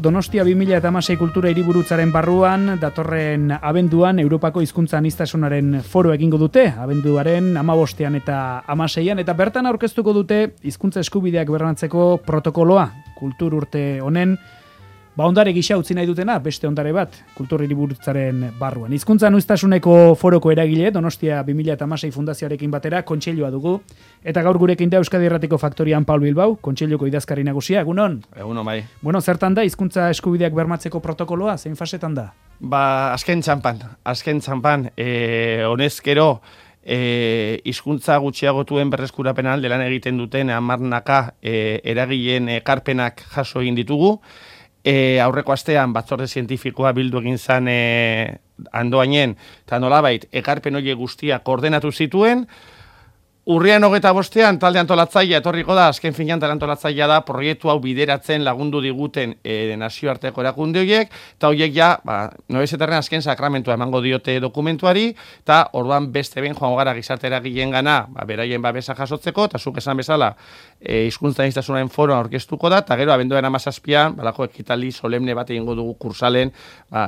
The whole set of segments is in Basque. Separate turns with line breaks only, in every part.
Donostia 2016 kultura hiriburutzaren barruan, datorren abenduan Europako hizkuntza aniztasunaren foro egingo dute, abenduaren 15ean eta 16ean, eta bertan aurkeztuko dute hizkuntza eskubideak bermatzeko protokoloa. Kultur urte honen, ondare gisa utzi nahi dutena, beste ondare bat, kultur hiriburutzaren barruan. Hizkuntza aniztasuneko foroko eragile, Donostia 2016 fundazioarekin batera, kontseilua dugu, eta gaur gurekin da Euskadi Irratiko Faktorian Paul Bilbao, kontseiluko idazkari nagusia, egunon?
Egunon, bai.
Bueno, zertan da hizkuntza eskubideak bermatzeko protokoloa, zein fasetan da?
Azken txanpan, honezkero, hizkuntza gutxiagotuen berreskurapen alde lan egiten duten 10 eragileen ekarpenak jaso egin ditugu. Aurreko astean batzorde zientifikoa bildu egin zen andoainen, eta nolabait ekarpen horiek guztiak ordenatu zituen. Urrian 25ean talde antolatzailea etorriko da, azken finean talde antolatzailea da proiektu hau bideratzen lagundu diguten nazioarteko erakunde horiek, eta horiek ja, nobezetarren azken sakramentua emango diote dokumentuari, eta orduan beste ben joango gara gizarte eragileen gana, beraien babesa jasotzeko, eta zuk esan bezala, hizkuntza aniztasunaren foroa aurkeztuko da, eta gero abenduaren 17ean, balako ekitaldi solemne bat egingo dugu kursalen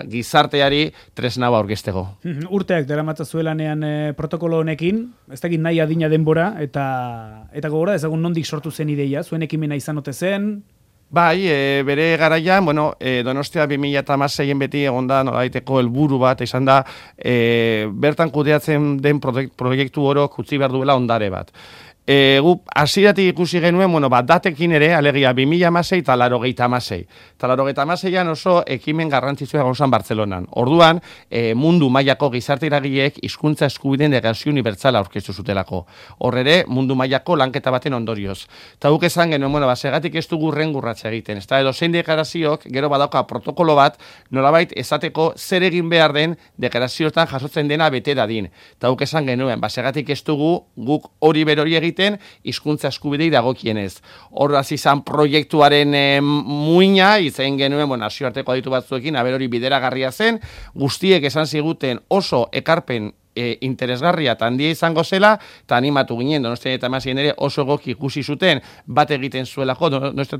gizarteari tresna aurkezteko.
Urteak daramatza zuelanean protokolo honekin, ez dakit nahi adina denbora, eta gogora ezagun nondik sortu zen ideia, zuen ekimena izan ote zen?
Bai, bere garaian, Donostia 2016 beti egonda nolabaiteko helburu bat izan da, bertan kudeatzen den proiektu orok utzi behar duela ondare bat. Gu hasieratik ikusi genuen, datekin ere, alegia 2016 eta 1986. Eta 1986an oso ekimen garrantzitsua egon zen Bartzelonan. Orduan, mundu mailako gizarte eragileek hizkuntza eskubideen deklarazio unibertsala aurkeztu zutelako. Hor ere, mundu mailako lanketa baten ondorioz. Eta guk esan genuen, segatik ez dugu rengurratza egiten. Ez da, edozein deklaraziok, gero badauka protokolo bat, nolabait esateko zer egin behar den deklarazioetan jasotzen dena bete dadin. Eta guk esan genuen, segatik ez dugu guk hori berori egiten, hizkuntza eskubidei dagokienez. Hor hasi izan proiektuaren muina, izen genuen, nazioarteko aditu batzuekin, hori bideragarria zen, guztiek esan ziguten oso ekarpen interesgarria eta handia izango zela, eta animatu ginen, Donostia eta Masien ere oso goki ikusi zuten, bat egiten zuelako, Donostia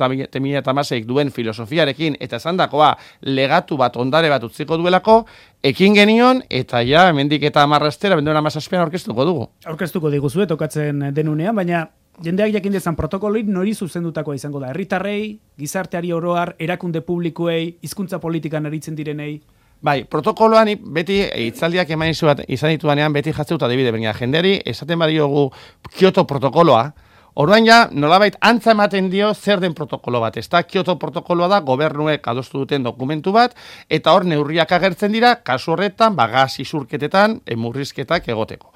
eta Masik duen filosofiarekin, eta esandakoa legatu bat, ondare bat utziko duelako, ekin genion, eta ja, hemendik eta 10 astera, benduena 17ean aurkeztuko dugu.
Aurkeztuko diguzue, tokatzen denunean, baina jendeak jakin dezan protokoloit nori zuzendutakoa izango da. Herritarrei, gizarteari oroar, erakunde publikoei, hizkuntza politikan aritzen direnei.
Bai, protokoloan beti hitzaldiak eman izan ditudanean beti jatzeuta adibide, baina jendeari esaten badiogu Kyoto protokoloa, orduan ja nolabait antza ematen dio zer den protokolo bat. Ez da, Kyoto protokoloa da gobernuek adostu duten dokumentu bat, eta hor neurriak agertzen dira, kasu horretan, gas isurketetan, murrizketak egoteko.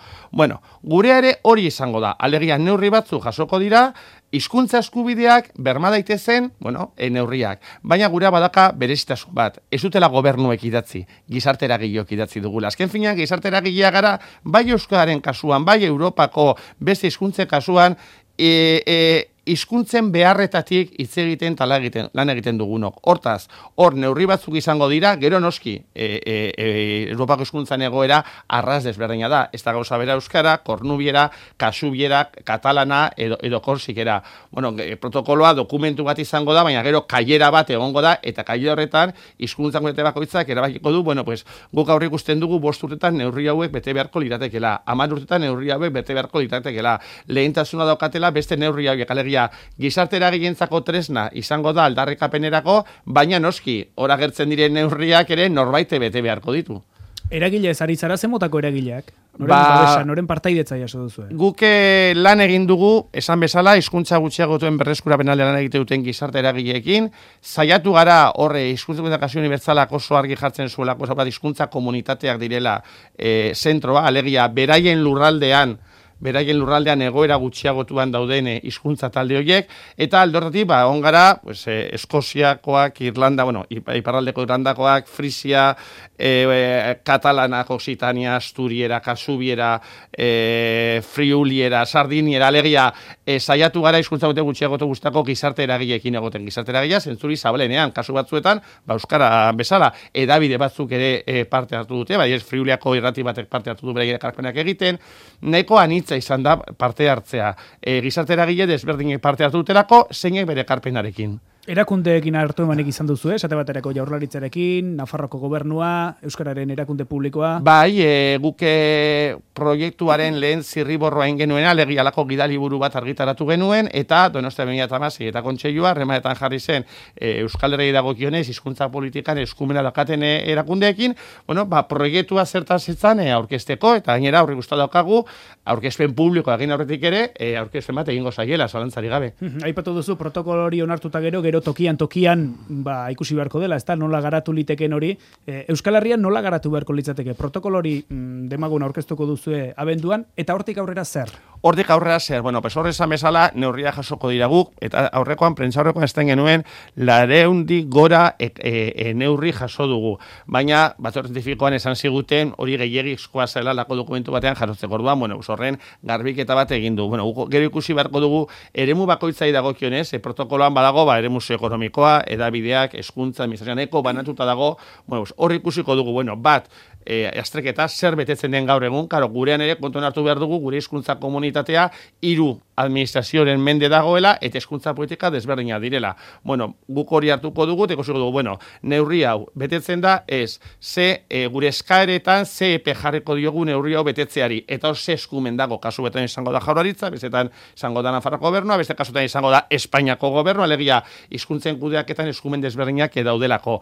Gurea ere hori izango da, alegia neurri batzu jasoko dira, hizkuntza eskubideak berma daitezen, neurriak. Baina gurea badaka berezitasun bat. Ez dutela gobernuek idatzi, gizarte eragileok idatzi dugula. Azken finean, gizarte eragilea gara, bai Euskararen kasuan, bai Europako beste hizkuntzen kasuan, hizkuntzen beharretatik hitz egiten lan egiten dugunok. Hortaz, hor neurri batzuk izango dira, gero noski, Europako hizkuntzan egoera arras desberdina da. Ez da gauza bera euskara, kornubiera, kasubiera, katalana edo korsikera. Protokoloa dokumentu bat izango da, baina gero kailera bat egongo da, eta kailera horretan hizkuntzan gure bakoitzak erabakiko du, guk aurre ikusten dugu 5 urtetan neurri hauek bete beharko liratekela, 10 urtetan neurri hauek bete beharko liratekela, lehentasuna daukatela beste neurri hauek, alegia gizarte eragilentzako tresna izango da aldarrikapenerako, baina noski, hor agertzen diren neurriak ere norbaite bete beharko ditu.
Eragile ez ari zara zemotako eragileak? Noren partaidetza jaso duzu?
Guk lan egin dugu, esan bezala, hizkuntza gutxiagotuen berreskurapen alde lan egite duten gizarte eragileekin, saiatu gara horre hizkuntza deklarazio unibertsalak oso argi jartzen zuelako, hizkuntza komunitateak direla zentroa, alegia beraien lurraldean egoera gutxiagotuan dauden hizkuntza talde horiek, eta aldortatik, ongara, Eskoziakoak, Irlanda, iparraldeko Irlandakoak, Frisia, Katalana, Occitania, Asturiera, Kasubiera, Friuliera, Sardiniera, alegia, saiatu gara hizkuntza gutxiagotu guztako gizarte eragileekin egoten. Gizarte eragilea zentzuri zabalenean, kasu batzuetan, euskara bezala, edabide batzuk ere parte hartu dute, Friuliako irrati batek parte hartu du beraien ekarpenak egiten, nahiko anitza izan da parte hartzea. Gizarte eragile desberdinek parte hartu dutelako, zeinek bere ekarpenarekin.
Erakundeekin hartu emanik izan duzu, esate baterako Jaurlaritzarekin, Nafarroko gobernua, Euskararen erakunde publikoa.
Bai, guke proiektuaren lehen zirriborroa genuen, alegialako gidaliburu bat argitaratu genuen, eta Donostia 2016 eta kontseilua harremanetan jarri zen Euskal Herriari dagokionez hizkuntza politikan eskumena daukaten erakundeekin, proiektua zertaz etzan aurkezteko, eta gainera aurre guztu daukagu, aurkezpen publiko egin aurretik ere, aurkezpen bat egingo zaiela, zalantzari gabe.
Aipatu duzu protokolo hori onartuta gero tokian ikusi beharko dela, ezta nola garatu liteken hori. Euskal Herrian nola garatu beharko litzateke? Protokolo hori demagun aurkeztuko duzue abenduan, eta hortik aurrera zer?
Hortik aurrera zer, horre esan bezala neurria jasoko dira guk, eta prentsa aurrekoan esten genuen, 200 gora neurri jaso dugu. Baina, batzorde zientifikoan esan ziguten, hori gehiagizkoa zela lako dokumentu batean jasotzeko. Orduan, horren garbiketa bat egin du. Gero ikusi beharko dugu, eremu bakoitzai dagokionez, protokoloan badago, eremu ekonomikoa, edabideak, hezkuntza, administrazioaneko, banatuta dago, hori ikusiko dugu, bat, azterketa zer betetzen den gaur egun, gurean ere kontuan hartu behar dugu, gure hizkuntza komunitatea 3 administrazioaren mende dagoela, eta hizkuntza politika desberdina direla. Guk hori hartuko dugu, eta ikusiko dugu, neurri hau betetzen da, gure eskaeretan, ze epe jarriko diogu neurri hau betetzeari, eta hor ze eskumen dago, kasu betan izango da Jaurlaritza, bestetan izango da Nafarroko gobernua, beste kasutan izango da Espainiako gobernua, alegia hizkuntzen kudeaketan eskumen desberdinak daudelako.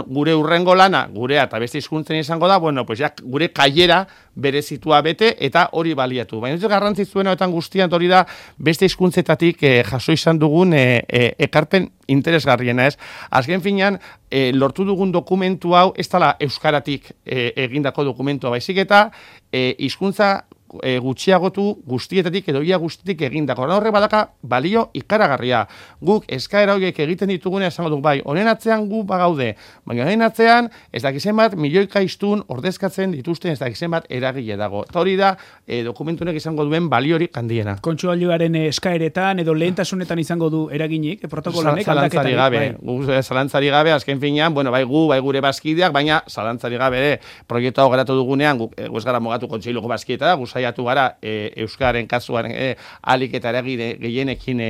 Gure urrengo lana, gurea eta beste hizkuntzen izango da, gure kaiera berezitua bete eta hori baliatu. Baina ez garrantzitsuena eta guztian hori da beste hizkuntzetatik jaso izan dugun ekarpen interesgarriena, ez? Azken finean, lortu dugun dokumentu hau ez dela euskaratik egindako dokumentua baizik eta hizkuntza gutxiagotu guztietatik edo ia guztietik egindako. Horrek badaka balio ikaragarria. Guk eskaera horiek egiten ditugune esango dugu bai, honen atzean gu bagaude, baina honen atzean ez dakizen bat milioika hiztun ordezkatzen dituzten ez dakizen bat eragile dago. Eta hori da dokumentunek izango duen baliorik handiena.
Kontsualioaren eskaeretan edo lehentasunetan izango du eraginik, protokolonek aldaketarik.
Zalantzari gabe, azken finean, bai gu, bai gure bazkideak, baina zalantzari gabe ere proiektu hau garatu dugunean, gu ez gara mogatu kontseiluko bazkieta da, saiatu gara Euskararen kasuan alik eta eragile gehienekin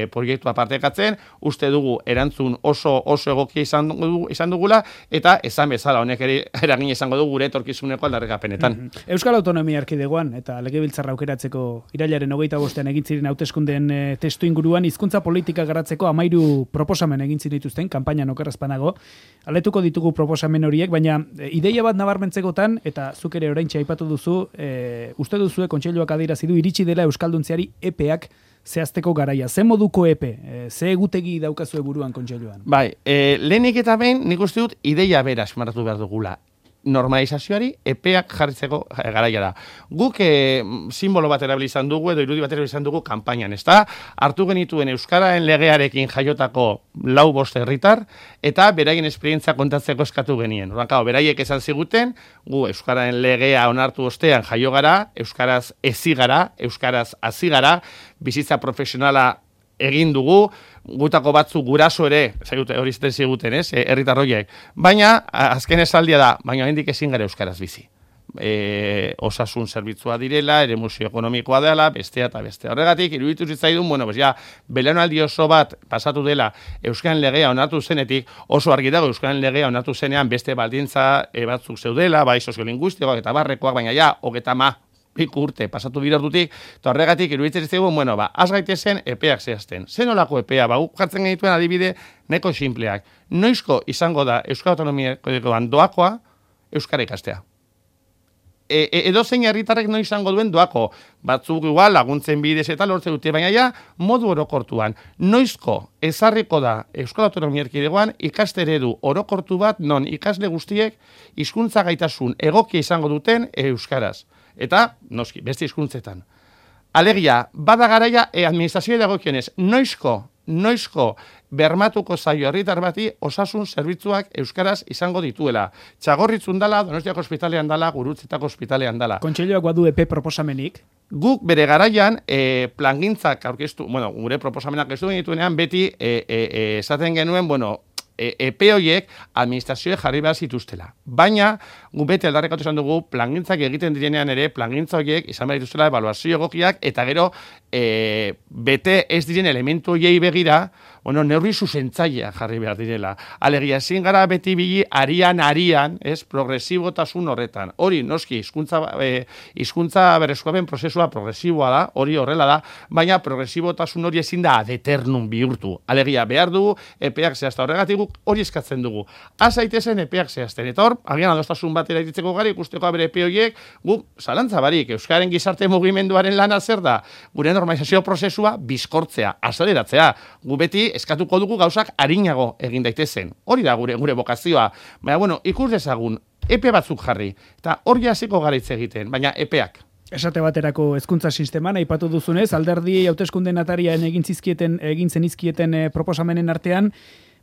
proiektua partekatzen, uste dugu erantzun oso egokia izan dugula, eta esan bezala honek ere eragin izango dugu gure etorkizuneko aldarrikapenetan.
Euskal Autonomia Erkidegoan eta Legebiltzarra aukeratzeko irailaren 25 egin ziren hauteskundeen testu inguruan hizkuntza politika garatzeko 13 proposamen egin dituzten kanpainan okerrezpanago. Aletuko ditugu proposamen horiek, baina ideia bat nabarmentzekotan, eta zuk ere oraintxe aipatu duzu, uste duzue kontseiluak adierazi du iritsi dela euskalduntziari epeak zehazteko garaia. Ze moduko epe? Ze egutegi daukazue buruan kontseiluan?
Bai, lehenik eta behin nik uste dut ideia bera esmaratu behar dugula. Normalizazioari epeak jarritzeko garaia da. Guk simbolo bat erabili izan dugu edo irudi bat erabili izan dugu kanpainan, ezta? Hartu genituen Euskararen legearekin jaiotako 4-5 herritar eta beraien esperientzia kontatzeko eskatu genien. Orduan, beraiek esan ziguten, gu Euskararen legea onartu ostean jaio gara, euskaraz hezi gara, euskaraz hasi gara, bizitza profesionala egin dugu, gutako batzu guraso ere, hori zaten ziguten, herritarroiek. Baina, azken esaldia da, baina hendik ezin gara euskaraz bizi. Osasun zerbitzua direla, eremu ekonomikoa dela, bestea eta bestea. Horregatik, iruditu zitzaidun, belaunaldi oso bat pasatu dela Euskaren legea onartu zenetik, oso argi dago Euskaren legea onartu zenean beste baldintza batzuk zeudela, bai soziolinguistikoak eta barrekoak, baina ja, 30 urte pasatu birordutik, eta horregatik iruditzen zigun, az gaitezen epeak zehazten. Zen olako epea, jartzen genituen adibide neko sinpleak. Noizko izango da Euskal Autonomia Erkidegoan doakoa euskara ikastea. Edo zein herritarrek noiz izango duen doako. Batzuk igual laguntzen bidez eta lortzen dute, baina ja modu orokortuan. Noizko ezarriko da Euskal Autonomia Erkidegoan ikaste eredu orokortu bat non ikasle guztiek hizkuntza gaitasun egokia izango duten euskaraz. Eta, noski, beste hizkuntzetan. Alegia, bada garaia administrazioa dagokionez, noizko bermatuko zaio herritar bati osasun zerbitzuak euskaraz izango dituela. Txagorritzun dala, Donostiako ospitalean dala, Gurutzetako ospitalean dala.
Kontseiluak badu epe proposamenik?
Guk bere garaian plangintzak aurkeztu, gure proposamenak aurkeztu genituenean beti esaten genuen, epe horiek administrazioek jarri behar zituztela. Baina, gu bete aldarrekatu esan dugu, plangintzak egiten direnean ere, plangintza horiek izan behar dituztela ebaluazio egokiak, eta gero, bete ez diren elementu horiei begira, bueno, neurri zuzentzailea jarri behar direla. Alegia, ezin gara beti bili arian, ez, progresibotasun horretan. Hori, noski, hizkuntza berreskurapen prozesua progresiboa da, hori horrela da, baina progresibotasun hori ezin da ad eternum bihurtu. Alegia, behar dugu, epeak zehazta horregatik guk hori eskatzen dugu. Azaitezen epeak zehazten. Eta hor, agian adostasun batera iritzeko gari, ikusteko bere epe horiek, guk zalantza barik, Euskaren gizarte mugimenduaren lana zer da, gure normalizazio prozesua bizkortzea, azeleratzea. Gu beti eskatuko dugu gauzak arinago egin daitezen. Hori da gure bokazioa. Baina, bueno, ikus dezagun, epe batzuk jarri. Eta hori hasiko gara hitz egiten, baina epeak.
Esate baterako hezkuntza sisteman aipatu duzunez, alderdi hauteskunde atarian egin zenizkieten proposamenen artean,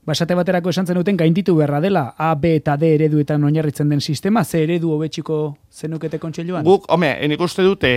esate baterako esan zenuten gainditu beharra dela A, B eta D ereduetan oinarritzen den sistema, ze eredu hobetxiko zenukete kontseiluan?
Guk, nik uste dute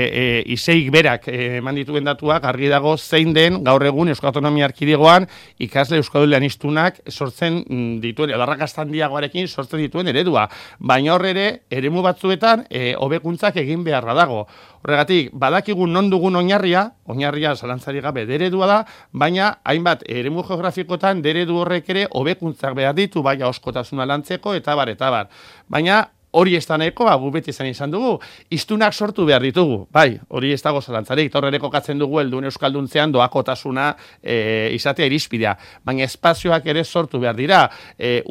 iseik berak eman dituen datuak argi dago zein den gaur egun Euskal Autonomia Erkidegoan ikasle euskaldunistunak sortzen dituen, edarrakastan diagoarekin sortzen dituen eredua. Baina hor ere, eremu batzuetan hobekuntzak egin beharra dago. Horregatik, badakigu non dugun oinarria zalantzari gabe deredua da, baina hainbat eremu geografikotan deredu horrek ere hobekuntzak behar ditu, baina oskotasuna lantzeko eta bar. Baina hori ez da nahiko, gu beti izan dugu, hiztunak sortu behar ditugu, bai, hori ez dago zalantzarik, torrere kokatzen dugu helduen euskalduntzean doakotasuna izatea irizpidea, baina espazioak ere sortu behar dira,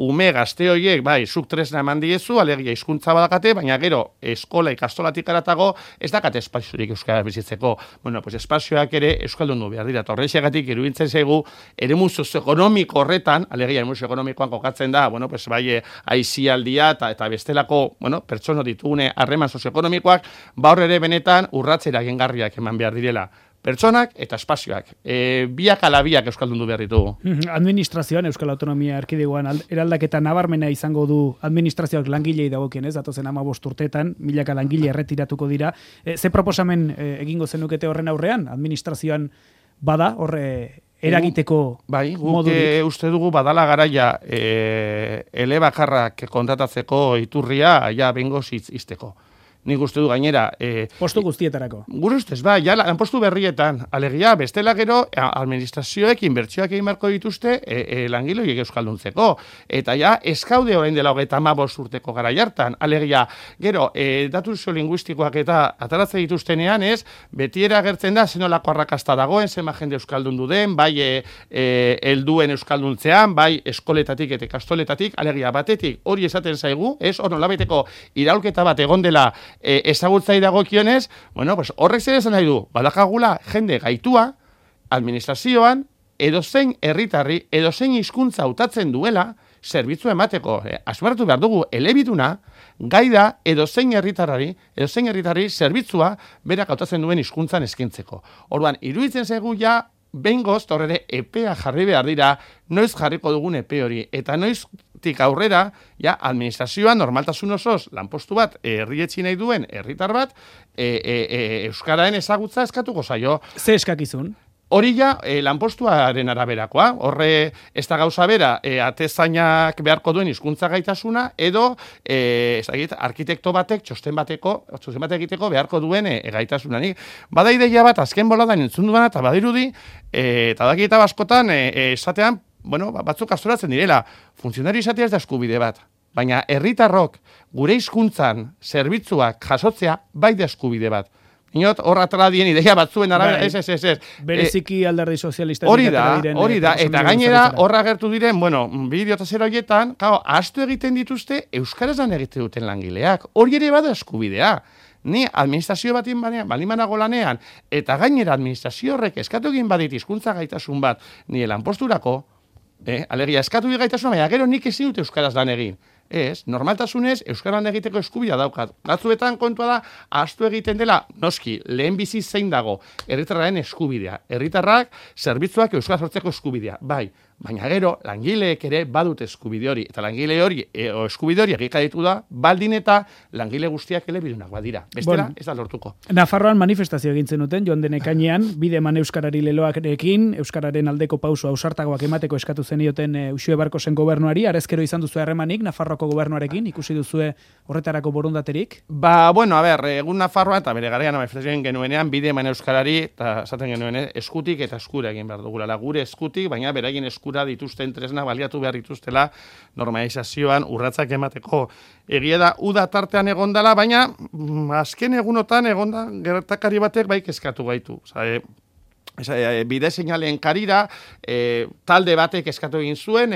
ume gazte horiek, bai, zuk tresna eman diezu, alegia hizkuntza badakate, baina gero eskola ikastolatik aratago ez dakate espaziorik euskara bizitzeko, bueno, pues espazioak ere euskaldundu behar dira, torrexegatik iruditzen zaigu, eremu sozioekonomiko horretan, alegia eremu sozioekonomikoan kokatzen da, bueno, pues bai, aisialdia eta bestelako pertsono ditugune harreman sozioekonomikoak, hor ere benetan urratzera egingarriak eman behar direla. Pertsonak eta espazioak. Biak ala biak euskaldundu behar ditugu.
Administrazioan, Euskal Autonomia Erkidegoan eraldaketa nabarmena izango du administrazioak langilei dagokien, ez? Datozen 15 urteetan, milaka langile erretiratuko dira. Ze proposamen egingo zenukete horren aurrean? Administrazioan bada horre eragiteko modurik.
Uste dugu badala garaia elebakarrak kontratatzeko iturria ja bengoz izteko. Nik uste du gainera...
postu guztietarako.
Gure ustez, ja, lanpostu berrietan. Alegia, bestela gero, administrazioek inbertsioak egin beharko dituzte langiloiek euskalduntzeko. Eta ja, eskaude orain dela 35 urteko gara jartan. Alegia, gero, datu soziolinguistikoak eta ataratzen dituztenean ez, betiera agertzen da, zenolako arrakasta dagoen, zenba jende euskaldundu den, bai helduen euskalduntzean, bai eskoletatik eta ikastoletatik, alegia, batetik hori esaten zaigu, ez, hor nolabaiteko iraulketa bat egon dela ezagutzai dagokionez, bueno, pues horrek zer esan nahi du, badakagula jende gaitua, administrazioan, edozein herritarri, edozein hizkuntza hautatzen duela, zerbitzu emateko, asmartu behar dugu, elebiduna, gai da edozein herritarri zerbitzua berak hautatzen duen hizkuntzan eskaintzeko. Orduan, iruditzen zaigu ja, behingoz, horre epea jarri behar dira, noiz jarriko dugun epe hori, eta noiztik aurrera, ja, administrazioan normaltasun osoz, lanpostu bat, herrietzi nahi duen herritar bat, euskaraen ezagutza eskatuko zaio.
Ze eskakizun?
Hori ja, lanpostuaren araberakoa, horre ez da gauza bera, atezainak beharko duen hizkuntza gaitasuna, edo, arkitekto batek, txosten bat egiteko beharko duen gaitasunanik. Bada ideia bat, azken boladan entzun duena, eta badirudi, eta daki eta baskotan, esatean, bueno, batzuk astoratzen direla, funtzionari izatea ez da eskubide bat. Baina herritarrok gure hizkuntzan zerbitzuak jasotzea bai da eskubide bat. Inot, horra tradien ideia batzuen arabera, ez.
Bereziki alderdi sozialista.
Hori da, eta gainera horra agertu diren, bueno, bideo eta zer horietan, ahaztu egiten dituzte, euskaraz lan egiten duten langileak. Hori ere bada eskubidea. Ni administrazio batin balimanago lanean, eta gainera administrazio horrek eskatu egin badit hizkuntza gaitasun bat, ni lanposturako, alegia eskatu gaitasun, baina gero nik ezin dut euskaraz lan egin. Ez, normaltasunez, euskaran egiteko eskubidea daukat. Batzuetan kontua da, ahaztu egiten dela, noski, lehen bizi zein dago, herritarraren eskubidea. Herritarrak, zerbitzuak euskara sortzeko eskubidea. Bai, Baina gero, langileek ere badut eskubide hori, eta langile hori, eskubide hori egikaditu da, baldin eta langile guztiak elebidunak badira. Bestela, ez da lortuko.
Nafarroan manifestazio egin zenuten, joan den ekainean, bide eman Euskarari leloarekin, Euskararen aldeko pauso ausartagoak emateko eskatu zenioten Uxue Barkosen gobernuari, arezkero izan duzu harremanik Nafarroako gobernuarekin, ikusi duzue horretarako borondaterik?
Bueno, egun Nafarroa eta bere garaian manifestazioen genuenean, bide eman Euskarari, eta esaten genuen, eskutik eta eskura egin behar dugula, gure eskutik, baina beraien eskura dituzten tresna baliatu behar dituztela normalizazioan urratsak emateko. Egia da, uda tartean egondala, baina azken egunotan egonda gertakari batek bai kezkatu gaitu. Bide seinalen karira, talde batek eskatu egin zuen,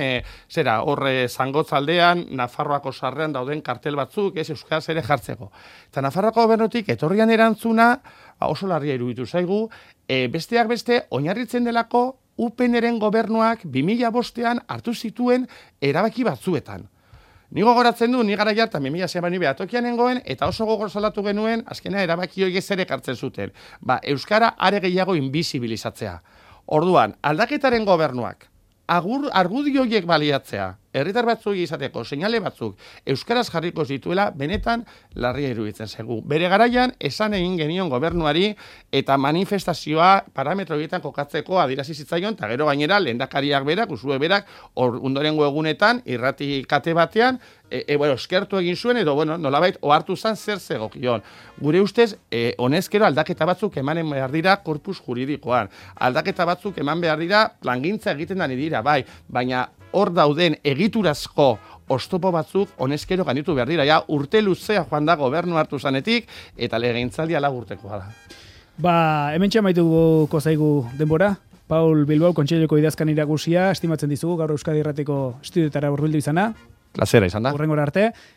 horre zangotzaldean, Nafarroako sarrean dauden kartel batzuk, euskaraz ere jartzeko. Eta Nafarroako gobernutik etorrian erantzuna, oso larria iruditu zaigu, besteak beste, oinarritzen delako, UPNren gobernuak 2005an hartu zituen erabaki batzuetan. Ni gogoratzen du, ni gara jartan 2006an behatokian nengoen, eta oso gogor salatu genuen, azkena erabaki horiek zer ekartzen zuten. Euskara are gehiago invisibilizatzea. Orduan, aldaketaren gobernuak, argudio horiek baliatzea, herritar batzuk izateko, seinale batzuk, euskaraz jarriko zituela, benetan larria iruditzen zaigu. Bere garaian, esan egin genion gobernuari eta manifestazioa parametro horietan kokatzeko adierazi zitzaion, eta gero gainera, lehendakariak berak, Uxue berak, ondorengo egunetan, irrati kate batean, eskertu egin zuen, edo, nolabait, ohartu zan zer zegokion. Gure ustez, honezkero aldaketa batzuk emanen behar dira korpus juridikoan. Aldaketa batzuk eman behar dira plangintza egiten dani dira, baina hor dauden egiturazko oztopo batzuk honezkero gainditu behar dira. Urte luzea joan da gobernu hartu zanetik, eta legegintzaldia lagurtekoa da.
Hemen txamaituko zaigu denbora. Paul Bilbao, Kontseiluko idazkan iragusia, estimatzen dizugu, gaur Euskadi Irratiko estudioetara hurbildu izana.
Plazera izan da.
Hurrengora arte.